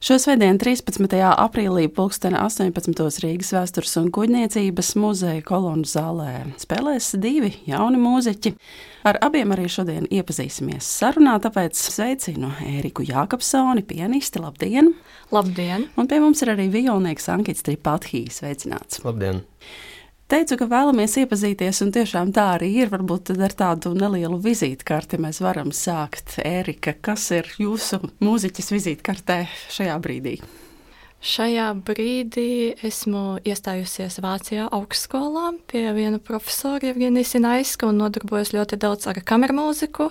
Šo svētdienu 13. aprīlī pulksteni 18. Rīgas Vēstures un kuģniecības muzeja kolonu zālē spēlēs divi jauni mūziķi. Ar abiem arī šodien iepazīsimies sarunā, tāpēc sveicinu Ēriku Jākapsoni, pianisti. Labdien! Labdien! Un pie mums ir arī violnieks Ankits Tripathijs. Sveicināts! Labdien! Teicu, ka vēlamies iepazīties, un tiešām tā arī ir. Varbūt tad ar tādu nelielu vizītkarti mēs varam sākt. Ērika, kas ir jūsu mūziķis vizītkartē šajā brīdī? Šajā brīdī esmu iestājusies Vācijā augstskolā pie viena profesora Jevgenija Sinaiska un nodarbojos ļoti daudz ar kamermūziku.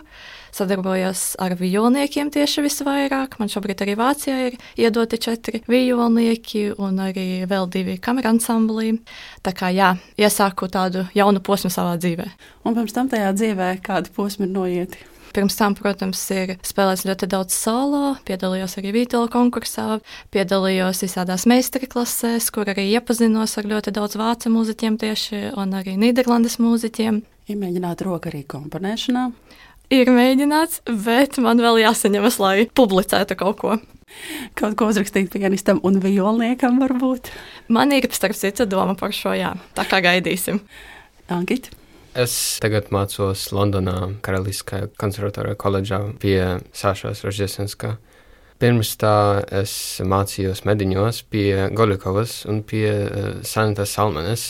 Sadarbojos ar violniekiem tieši visvairāk. Man šobrīd arī Vācijā ir iedoti 4 violnieki un arī vēl 2 kameransamblī. Tā kā jā, iesāku tādu jaunu posmu savā dzīvē. Un pirms tam tajā dzīvē kādi posmi ir noieti? Pirms tam, protams, ir spēlēts ļoti daudz solo, piedalījos arī vītola konkursā, piedalījos visādās meistarklasēs, kur arī iepazinos ar ļoti daudz vācu mūziķiem tieši un arī Nīderlandes mūziķiem. Ir mēģināt roku arī komponēšanā? Ir mēģināts, bet man vēl jāsaņemas, lai publicētu kaut ko. Kaut ko uzrakstīt pianistam un violniekam varbūt? Man ir starp citu doma par šo, jā. Tā kā gaidīsim. Ankit? Es tagad mācos Londonā Karaliskajā konservatorijā koledžā pie Sašas Rožģesenska. Pirms tā es mācījos Mediņos pie Golikovas un pie Sanitas Salmenes.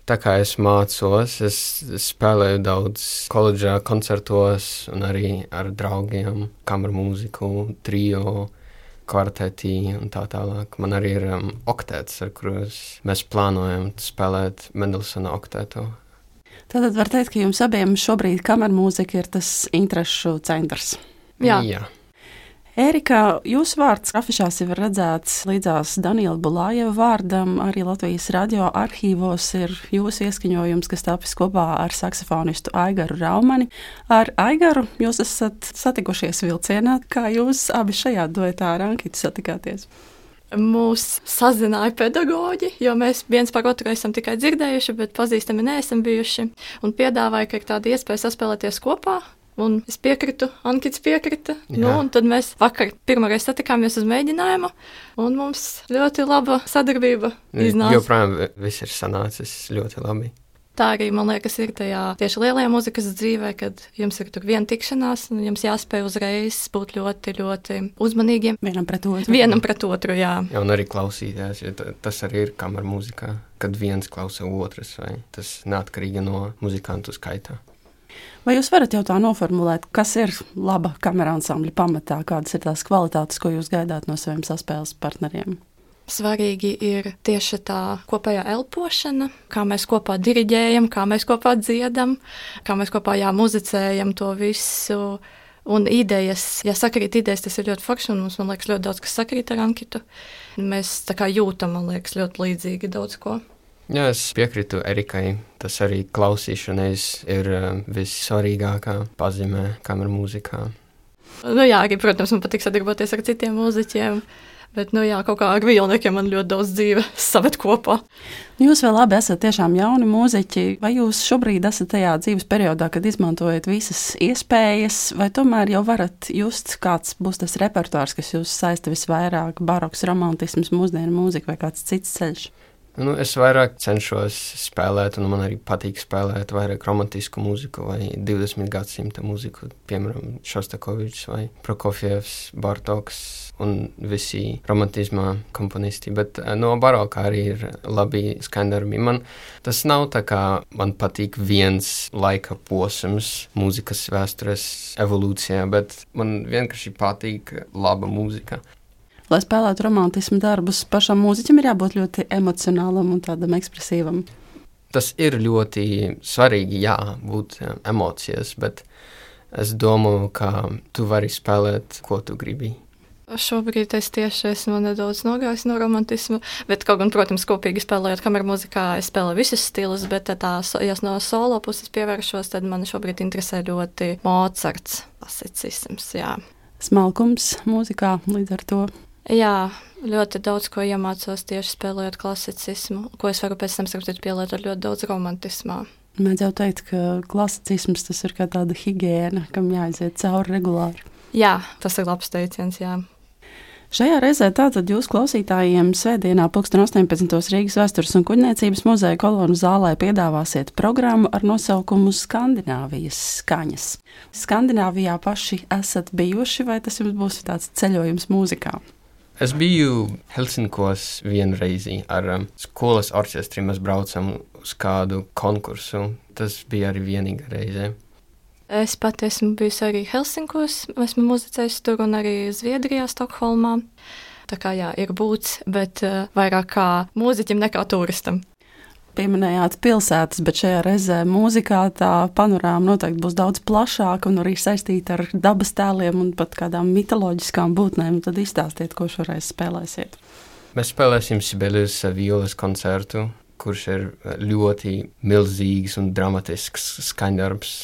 Tā kā es mācos, es spēlēju daudz koledžā koncertos un arī ar draugiem, kamermūziku, trio, kvartetī un tā tālāk. Man arī ir oktēts, ar kurus mēs plānojam spēlēt Mendelsona oktēto. Tātad var teikt, ka jums abiem šobrīd kamermūzika ir tas interešu centrs. Jā. Ērika, jūsu vārds afišās jau ir redzēts līdzās Daniela Bulājeva vārdam. Arī Latvijas radio arhīvos ir jūsu ieskaņojums, kas tapis kopā ar saksofonistu Aigaru Raumani. Ar Aigaru jūs esat satikušies vilcienā. Kā jūs abi šajā duetā ar Ankitu satikāties? Mūs sazināja pedagoģi, jo mēs viens par otru esam tikai dzirdējuši, bet pazīstami neesam bijuši. Un piedāvāja, ka ir tāda iespēja saspēlēties kopā. Un es piekritu, Ankits piekrita. Un tad mēs vakar pirmoreiz satikāmies uz mēģinājumu, un mums ļoti laba sadarbība iznāca. Joprojām viss ir sanācis ļoti labi. Tā arī, man liekas, ir tajā tieši lielajā mūzikas dzīvē, kad jums ir tur viena tikšanās, un jums jāspēj uzreiz būt ļoti, ļoti uzmanīgiem. Vienam pret otru, jā. Jā, un arī klausīties, jo tas arī ir kamermūzikā, kad viens klausa otrs, vai tas neatkarīgi no muzikantu skaitā. Vai jūs varat jau tā noformulēt, kas ir laba kameransambļa pamatā, kādas ir tās kvalitātes, ko jūs gaidāt no saviem saspēles partneriem? Svarīgi ir tieši tā kopējā elpošana, kā mēs kopā diriģējam, kā mēs kopā dziedam, kā mēs kopā muzicējam to visu. Un idejas, ja sakrīt idejas, tas ir ļoti forši, un mums, man liekas, ļoti daudz, kas sakrīt ar Ankitu. Mēs tā kā jūtam, man liekas, ļoti līdzīgi daudz ko. Jā, es piekrītu Erikai. Tas arī klausīšanais ir vissvarīgākā pazīme kamermūzikā. Jā, arī, protams, man patīk sadarboties ar citiem mūziķiem. Bet, kaut kā ar violniekiem man ļoti daudz dzīve saved kopā. Jūs vēl labi esat tiešām jauni mūziķi. Vai jūs šobrīd esat tajā dzīves periodā, kad izmantojat visas iespējas, vai tomēr jau varat just, kāds būs tas repertuārs, kas jūs saista visvairāk, baroks, romantisms, mūsdienu mūzika vai kāds cits ceļš? Es vairāk cenšos spēlēt, un man arī patīk spēlēt vairāk romantisku mūziku vai 20. gadsimta mūziku, piemēram, Šostakovičs vai Prokofjevs, Bartoks un visi romantismā komponisti, bet no baroka arī ir labi skaņdarbi. Tas nav tā kā man patīk viens laika posms mūzikas vēstures evolūcijā, bet man vienkārši patīk laba mūzika. Lai spēlētu romantismu darbus, pašam mūziķim ir jābūt ļoti emocionālam un tādam ekspresīvam. Tas ir ļoti svarīgi, būt emocijas, bet es domāju, ka tu vari spēlēt, ko tu gribi. Šobrīd es tieši esmu nedaudz nogājis no romantismu, bet kaut gan, protams, kopīgi spēlējot kamermūzikā, es spēlēju visus stilus, bet ja no solo puses pievēršos, tad man šobrīd interesē ļoti Mocarts, klasicisms, jā. Smalkums mūzikā līdz ar to. Jā, ļoti daudz ko iemācos tieši spēlējot klasicismu, ko es varu pēc tam pielietot ļoti daudz romantismā. Mēdz jau teikt, ka klasicisms tas ir kā tāda higiēna, kam jāaiziet cauri regulāri. Jā, tas ir labs teiciens, jā. Šajā reizē tātad jūs klausītājiem svētdienā 18. Rīgas Vēstures un kuģniecības muzeja kolonu zālē piedāvāsiet programmu ar nosaukumu Skandināvijas skaņas. Skandināvijā paši esat bijuši, vai tas jums būs tāds ceļojums mūzikā? Es biju Helsinkos vienreizi ar skolas orķestri. Mēs braucam uz kādu konkursu. Tas bija arī vienīga reize. Es pat esmu bijusi arī Helsinkos, esmu muzicējusi tur un arī Zviedrijā, Stokholmā. Tā kā jā, ir būts, bet vairāk kā mūziķim nekā turistam. Pieminējāt pilsētas, bet šajā reizē mūzikā tā panorāma noteikti būs daudz plašāka un arī saistīta ar dabas tēliem un pat kādām mitoloģiskām būtnēm. Tad izstāstiet, ko šoreiz spēlēsiet. Mēs spēlēsim Sibelius violas koncertu, kurš ir ļoti milzīgs un dramatisks skaņdarbs.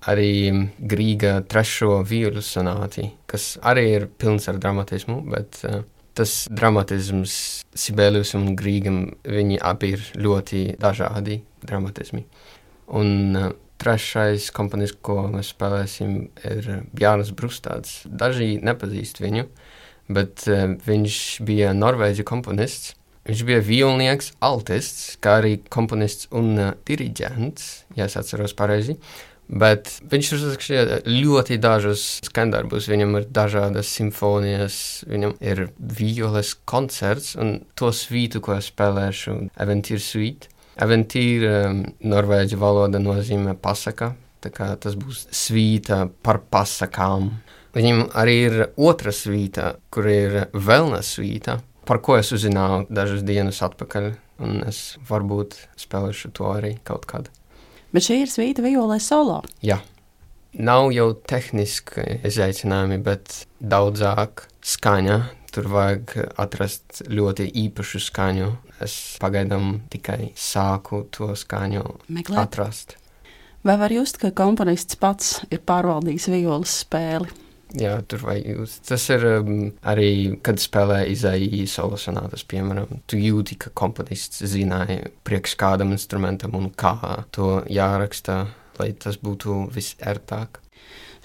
Arī Grīga trešo vīlu sonāti, kas arī ir pilns ar dramatismu, bet tas dramatisms Sibelius un Grīgam, viņi abi ir ļoti dažādi dramatismi. Un trešais komponists, ko mēs spēlēsim, ir Bjarnes Brustāds. Daži nepazīst viņu, bet viņš bija norvēģu komponists. Viņš bija violnieks, altists, kā arī komponists un diriģents, ja es atceros pareizi. Bet viņš uzrakstīja ļoti dažus skaņdarbus, viņam ir dažādas simfonijas, viņam ir violes koncerts, un to svītu, ko es spēlēšu, Aventīr suite. Aventīr norvēģu valoda nozīmē pasaka, tā kā tas būs svīta par pasakām. Viņam arī ir otra svīta, kur ir Velna svīta, par ko es uzzināju dažas dienas atpakaļ, un es varbūt spēlēšu to arī kaut kad. Bet šī ir svīta violē solo. Jā. Nav jau tehniski izaicinājumi, bet daudzāk skaņa. Tur vajag atrast ļoti īpašu skaņu. Es pagaidām tikai sāku to skaņu atrast. Vai var just, ka komponists pats ir pārvaldījis violas spēli? Jā, tur vajag just. Tas ir arī, kad spēlē Izaiī solo sonātas, piemēram. Tu jūti, ka komponists zināja priekš kādam instrumentam un kā to jāraksta, lai tas būtu visērtāk.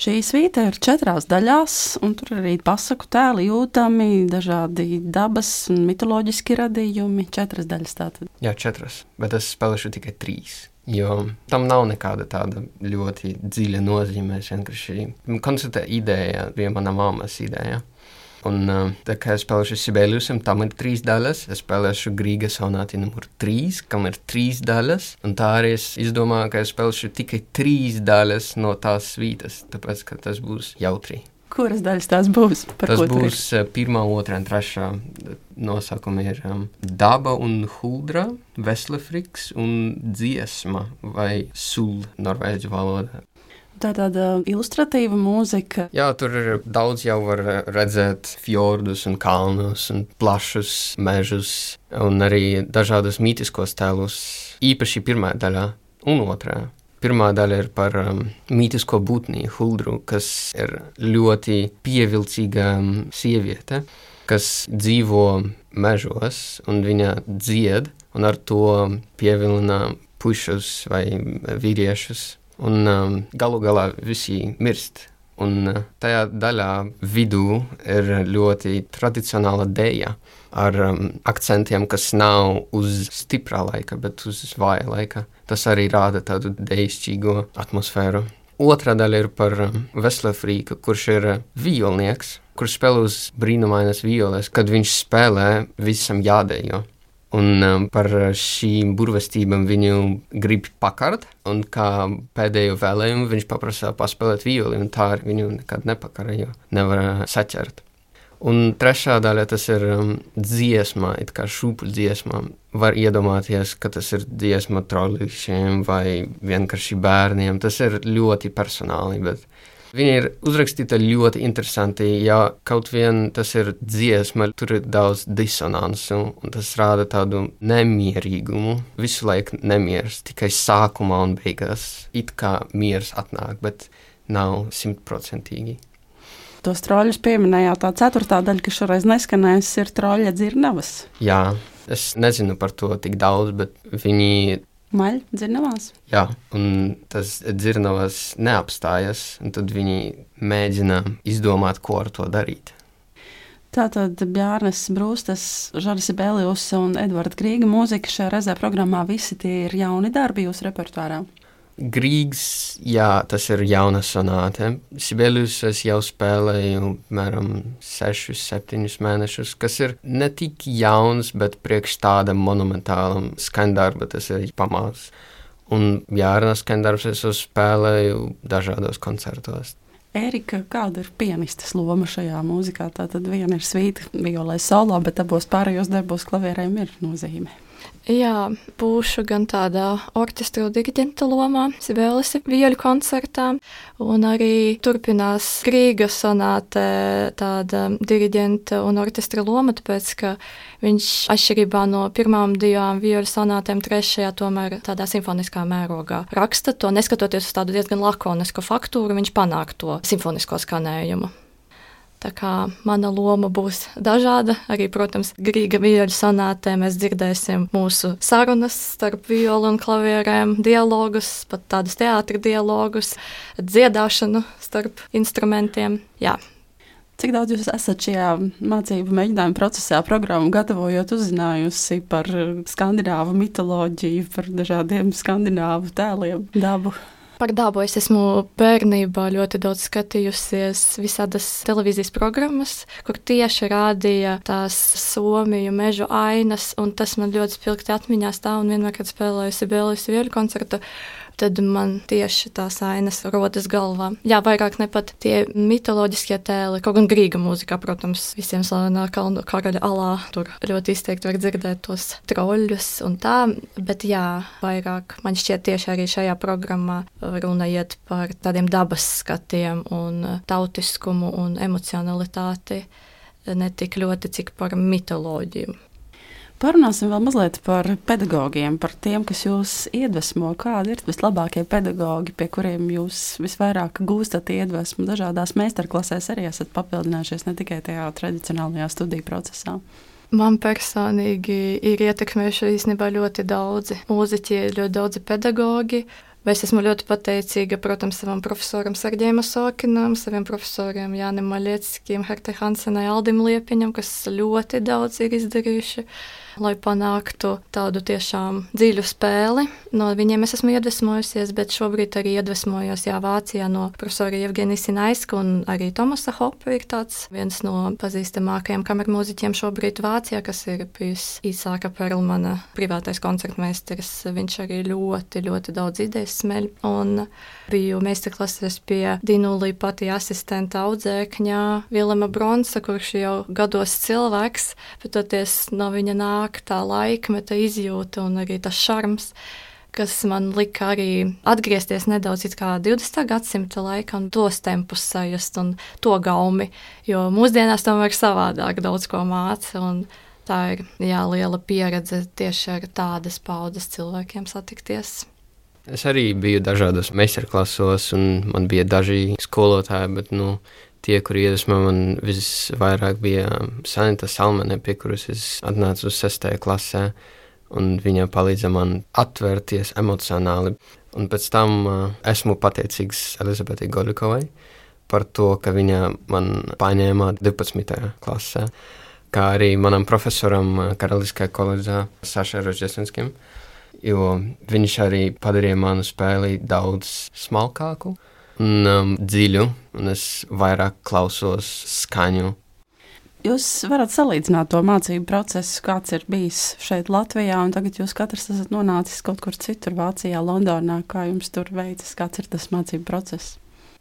Šī svīta ir 4 daļās, un tur arī pasaku tēli jūtami, dažādi dabas un mitoloģiski radījumi. 4 daļas tātad. Jā, 4, bet es spēlēšu tikai 3. Jo tam nav nekāda tāda ļoti dziļa nozīme. Koncerta ideja bija mana mammas ideja. Un tā kā es spēlēšu Sibeliusam, tam ir 3 daļas. Es spēlēšu Grīga sonāti numur 3, kam ir 3 daļas. Un tā arī es izdomāju, ka es spēlēšu tikai 3 daļas no tās svītas, tāpēc, ka tas būs jautri. Kuras daļas tās būs? Tas būs 1, 2 un 3. Nosakumi ir daba un huldra, veslefriks un dziesma vai sul norvēģu valodā. Tā tāda ilustratīva mūzika. Jā, tur ir daudz jau var redzēt fjordus un kalnus un plašus mežus un arī dažādus mītiskos tēlus, īpaši 1. daļā un 2. Pirmā daļa ir par mītisko būtni huldru, kas ir ļoti pievilcīga sieviete, kas dzīvo mežos un viņa dzied un ar to pievilina pušus vai vīriešus. Un galu galā visi mirst. Un tajā daļā vidū ir ļoti tradicionāla dēja ar akcentiem, kas nav uz stiprā laika, bet uz vāja laika. Tas arī rāda tādu dējišķīgo atmosfēru. 2. daļa ir par Veslefrīku, kurš ir violnieks, kurš spēlē uz brīnumainas violes, kad viņš spēlē visam jādējo. Un par šīm burvestībām viņu grib pakart, un kā pēdējo vēlējumu viņš paprasā paspēlēt violi, un tā viņu nekad nepakara, jo nevar saķert. Un 3. daļa tas ir dziesma, it kā šūpuļu dziesma. Var iedomāties, ka tas ir dziesma trollīšiem vai vienkārši bērniem. Tas ir ļoti personāli, bet viņa ir uzrakstīta ļoti interesanti, ja kaut vien tas ir dziesma, tur ir daudz disonansu, un tas rāda tādu nemierīgumu. Visu laiku nemieris, tikai sākumā un beigās. It kā miers atnāk, bet nav 100%. Tos troļus pieminējāt, tā 4. daļa, kas šoreiz neskanēs, ir troļa dzirnavas. Jā, es nezinu par to tik daudz, bet viņi... Maļ, dzirnavās? Jā, un tas dzirnavas neapstājas, un tad viņi mēģina izdomāt, ko ar to darīt. Tātad Bjārnes Brūstas, Žaris Sibelius un Edvards Grīga mūzika šajā reizē programmā visi tie ir jauni darbi jūsu repertuārā? Grīgs, jā, tas ir jauna sonāte. Sibelius es jau spēlēju mēram 6-7 mēnešus, kas ir ne tik jauns, bet priekš tāda monumentāla skaņdarba tas ir pamats. Un Bjārnes skaņdarbs es spēlēju dažādos koncertos. Ērika, kāda ir pianistas loma šajā mūzikā? Tātad viena ir svīta, violē solo, bet abos pārējos darbos klavierēm ir nozīme. Jā, būšu gan tādā orķestra diriģenta lomā, Sibelius vioļu koncertā, un arī turpinās Grīga sonāte tāda diriģenta un orķestra loma, tāpēc, ka viņš atšķirībā no pirmām 2 vioļu sonātēm trešajā tomēr tādā simfoniskā mērogā raksta to, neskatoties uz tādu diezgan lakonisku faktūru, viņš panāk to simfonisko skanējumu. Tā kā mana loma būs dažāda, arī, protams, Grīga vioļu sonātē mēs dzirdēsim mūsu sarunas starp violu un klavierēm, dialogus, pat tādus teātra dialogus, dziedāšanu starp instrumentiem, jā. Cik daudz jūs esat šajā mācību mēģinājuma procesā, programmu gatavojot, uzzinājusi par skandināvu mitoloģiju, par dažādiem skandināvu tēliem, dabu? Par dabu es esmu bērnībā ļoti daudz skatījusies visādas televīzijas programmas, kur tieši rādīja tās Somiju mežu ainas, un tas man ļoti spilgti atmiņā stāv, un vienmēr, kad spēlēju Sibelius vioļu koncertu, tad man tieši tās ainas rodas galvā. Jā, vairāk ne pat tie mitoloģiskie tēli, kaut gan Grīga mūzikā, protams, visiem slavenā Kalnu karaļa alā, tur ļoti izteikti var dzirdēt tos troļļus un tā, bet jā, vairāk man šķiet tieši arī šajā programmā runa iet par tādiem dabas skatiem un tautiskumu un emocionalitāti, ne tik ļoti, cik par mitoloģiju. Parunāsim vēl mazliet par pedagogiem, par tiem, kas jūs iedvesmo. Kādi ir vislabākie pedagogi, pie kuriem jūs visvairāk gūstat iedvesmu? Dažādās meistarklasēs arī esat papildinājušies, ne tikai tajā tradicionālajā studiju procesā. Man personīgi ir ietekmējuši īstenībā ļoti daudzi mūziķi, ļoti daudzi pedagogi. Es esmu ļoti pateicīga, protams, savam profesoram Serģejam Osokinam, saviem profesoriem Jānim Maļieckim, Hertai Hansenai, Aldim Liepiņam, kas ļoti daudz ir izdarījuši, lai panāktu tādu tiešām dziļu spēli. No viņiem es esmu iedvesmojusies, bet šobrīd arī iedvesmojos Vācijā no profesora Jevgenija Sinaiska un arī Tomasa Hopa ir tāds viens no pazīstamākajiem kamermūziķiem šobrīd Vācijā, kas ir bijis Īsāka Perlmana privātais koncertmeisteris. Viņš arī ļoti, ļoti daudz idejas smeļ. Un biju meistarklases pie Dinulī pati asistenta audzēkņā Vilema Bronsa, kurš jau gados cilvēks, bet toties no viņa nāk tā laikmeta izjūta un arī tas šarms, kas man lika arī atgriezties nedaudz it kā 20. gadsimta laikā un tos tempus sajust un to gaumi, jo mūsdienās tomēr savādāk daudz ko māca un tā ir liela pieredze tieši ar tādas paudzes cilvēkiem satikties. Es arī biju dažādos meistarklasos un man bija daži skolotāji, bet tie, kuri iedvesmo man visvairāk bija Sanita Salmane, pie kuras es atnācu uz 6. klasē, un viņa palīdza man atvērties emocionāli. Un pēc tam esmu pateicīgs Elizabetei Golikovai par to, ka viņa man paņēma 12. klasē, kā arī manam profesoram Karaliskajā koledžā Sašai Roždesenskim, jo viņš arī padarīja manu spēli daudz smalkāku un dziļu, un es vairāk klausos skaņu. Jūs varat salīdzināt to mācību procesu, kāds ir bijis šeit Latvijā, un tagad jūs katrs esat nonācis kaut kur citur, Vācijā, Londonā. Kā jums tur veicas, kāds ir tas mācību process?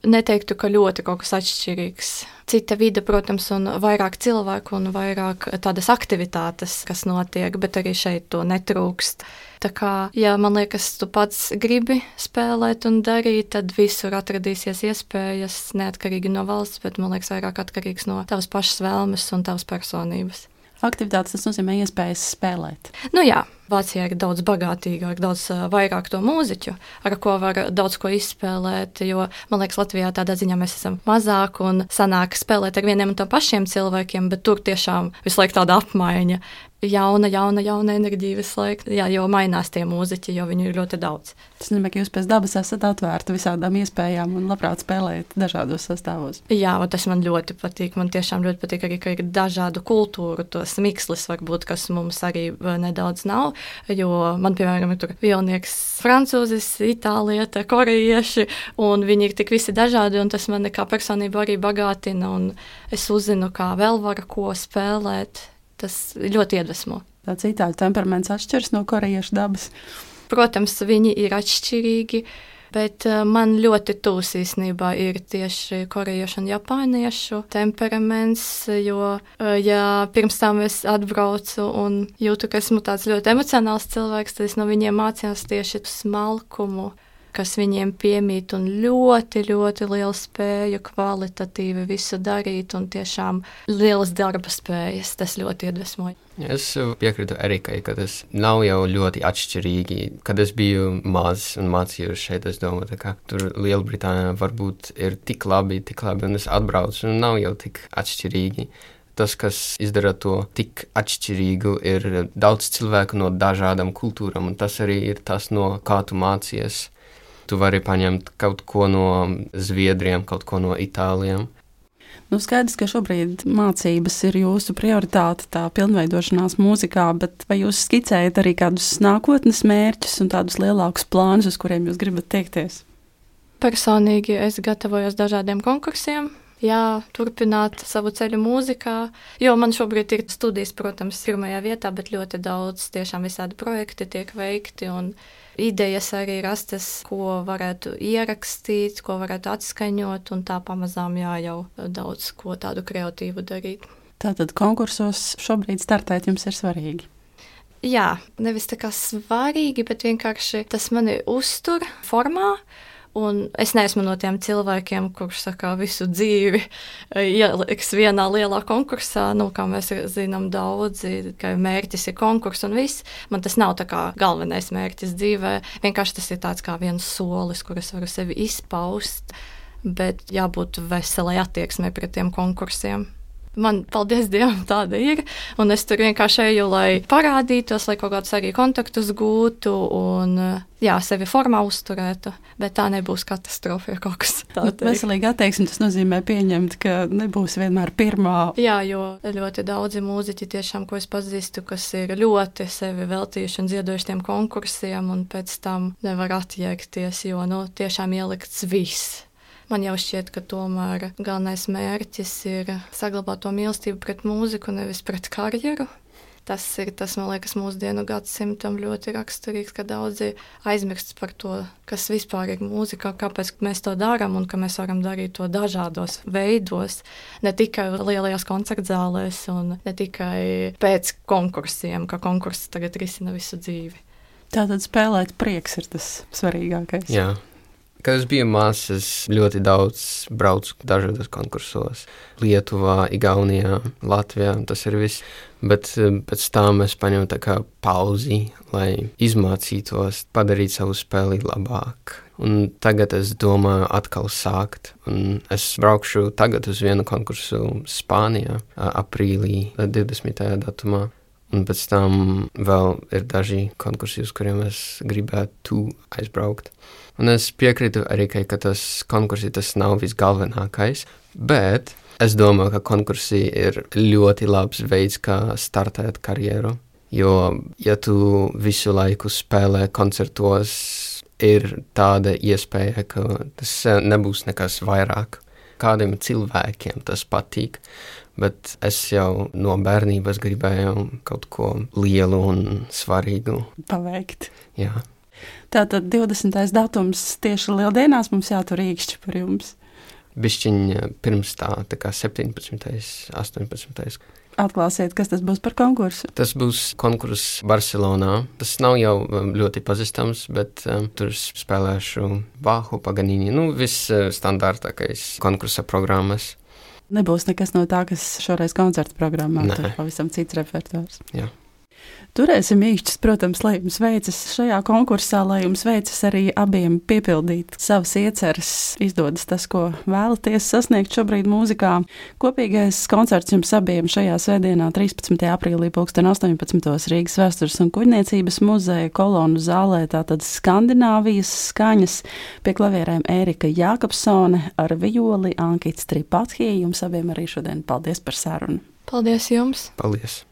Neteiktu, ka ļoti kaut kas atšķirīgs. Cita vide, protams, un vairāk cilvēku un vairāk tādas aktivitātes, kas notiek, bet arī šeit to netrūkst. Tā kā, ja man liekas, tu pats gribi spēlēt un darīt, tad visur atradīsies iespējas, neatkarīgi no valsts, bet man liekas vairāk atkarīgs no tavas pašas vēlmes un tavas personības. Aktivitātes, tas nozīmē iespējas spēlēt. Jā, Vācijā ir daudz bagātīgāk, daudz vairāk to mūziķu, ar ko var daudz ko izspēlēt, jo, man liekas, Latvijā tādā ziņā mēs esam mazāk un sanāk spēlēt ar vieniem un to pašiem cilvēkiem, bet tur tiešām visu laiku tāda apmaiņa. Jauna enerģija visu laiku, jā, jo mainās tie mūziķi, jo viņu ir ļoti daudz. Tas nozīmē, ka jūs pēc dabas esat atvērti visādām iespējām un labprāt spēlējat dažādos sastāvos. Jā, un tas man ļoti patīk. Man tiešām ļoti patīk arī, ka ir dažādu kultūru, tos mikslis varbūt, kas mums arī nedaudz nav, jo man, piemēram, ir tur violnieks francūzis, itālieta, korejieši, un viņi ir tik visi dažādi, un tas mani kā personību arī bagātina, un es uzzinu, kā vēl var ko spēlēt. Tas ļoti iedvesmo. Tāds itāļu temperaments atšķiras no korejiešu dabas. Protams, viņi ir atšķirīgi, bet man ļoti tūs īstenībā ir tieši korejiešu un japāniešu temperaments, jo ja pirms tam es atbraucu un jūtu, ka esmu tāds ļoti emocionāls cilvēks, tad es no viņiem mācījos tieši smalkumu, kas viņiem piemīt, un ļoti, ļoti liela spēja kvalitatīvi visu darīt, un tiešām lielas darba spējas. Tas ļoti iedvesmoja. Es piekrītu Erikai, ka tas nav jau ļoti atšķirīgi. Kad es biju mazs un mācījos šeit, es domāju, ka tur Lielbritānijā varbūt ir tik labi, un es atbraucu, un nav jau tik atšķirīgi. Tas, kas izdara to tik atšķirīgu, ir daudz cilvēku no dažādām kultūrām, un tas arī ir tas, no kā tu mācies. Tu vari paņemt kaut ko no Zviedriem, kaut ko no Itālijiem. Nu, skaidrs, ka šobrīd mācības ir jūsu prioritāte, tā pilnveidošanās mūzikā, bet vai jūs skicējat arī kādus nākotnes mērķus un tādus lielākus plānus, uz kuriem jūs gribat tiekties? Personīgi es gatavojos dažādiem konkursiem. Jā, turpināt savu ceļu mūzikā, jo man šobrīd ir studijas, protams, pirmajā vietā, bet ļoti daudz tiešām visādi projekti tiek veikti un idejas arī rastas, ko varētu ierakstīt, ko varētu atskaņot, un tā pamazām jau daudz ko tādu kreatīvu darīt. Tātad konkursos šobrīd startēt jums ir svarīgi? Jā, nevis tā kā svarīgi, bet vienkārši tas mani uztur formā. Un es neesmu no tiem cilvēkiem, kurš saka, visu dzīvi ieliks vienā lielā konkursā, kā mēs zinām daudzi, ka mērķis ir konkurss un viss. Man tas nav tā kā galvenais mērķis dzīvē, vienkārši tas ir tāds kā viens solis, kur es varu sevi izpaust, bet jābūt veselai attieksmei pret tiem konkursiem. Man, paldies Dievam, tāda ir, un es tur vienkārši eju, lai parādītos, lai kaut kādus arī kontaktus gūtu un, sevi formā uzturētu, bet tā nebūs katastrofa, ja kaut kas tā teikt. Veselīga attieksme, tas nozīmē pieņemt, ka nebūs vienmēr pirmā. Jā, jo ļoti daudzi mūziķi tiešām, ko es pazīstu, kas ir ļoti sevi veltījuši un ziedojuši tiem konkursiem, un pēc tam nevar atjēgties, jo, tiešām ielikts viss. Man jau šķiet, ka tomēr galvenais mērķis ir saglabāt to mīlestību pret mūziku, nevis pret karjeru. Tas ir, man liekas, mūsdienu gadsimtam ļoti raksturīgs, ka daudzi aizmirst par to, kas vispār ir mūzika, kāpēc mēs to darām un ka mēs varam darīt to dažādos veidos, ne tikai lielajās koncertzālēs un ne tikai pēc konkursiem, ka konkurss tagad risina visu dzīvi. Tātad spēlēt prieks ir tas svarīgākais. Jā. Kad es biju mazs, es ļoti daudz braucu dažādos konkursos. Lietuvā, Igaunijā, Latvijā, tas ir viss. Bet pēc tam es paņemu tā kā pauzi, lai izmācītos, padarīt savu spēli labāk. Un tagad es domāju atkal sākt. Un es braukšu tagad uz vienu konkursu Spānijā, aprīlī 20. datumā. Un pēc tam vēl ir daži konkursi, uz kuriem es gribētu aizbraukt. Un es piekrītu arī, ka tas konkursi tas nav visgalvenākais, bet es domāju, ka konkursi ir ļoti labs veids, kā startēt karjeru. Jo, ja tu visu laiku spēlē koncertos, ir tāda iespēja, ka tas nebūs nekas vairāk. Kādiem cilvēkiem tas patīk, bet es jau no bērnības gribēju kaut ko lielu un svarīgu paveikt. Jā. Tātad 20. datums tieši lieldienās mums jātur īkšķi par jums. Bišķiņ pirms tā kā 17. 18. Atklāsiet, kas tas būs par konkursu? Tas būs konkurss Barcelonā. Tas nav jau ļoti pazīstams, bet tur spēlēšu Bahu, Paganini, viss standārtākais konkursa programmas. Nebūs nekas no tā, kas šoreiz koncerta programmā, Nē. tur pavisam cits repertuārs. Jā. Turēsim īkšķis, protams, lai jums veicas šajā konkursā, lai jums veicas arī abiem piepildīt savas ieceres, izdodas tas, ko vēlaties sasniegt šobrīd mūzikā. Kopīgais koncerts jums abiem šajā svētdienā, 13. aprīlī 2018. Rīgas Vēstures un kuģniecības muzeja kolonu zālē, tātad Skandināvijas skaņas, pie klavierēm Ērika Jākapsone, ar violi Ankits Tripathija. Jums abiem arī šodien paldies par sarunu. Paldies jums! Paldies!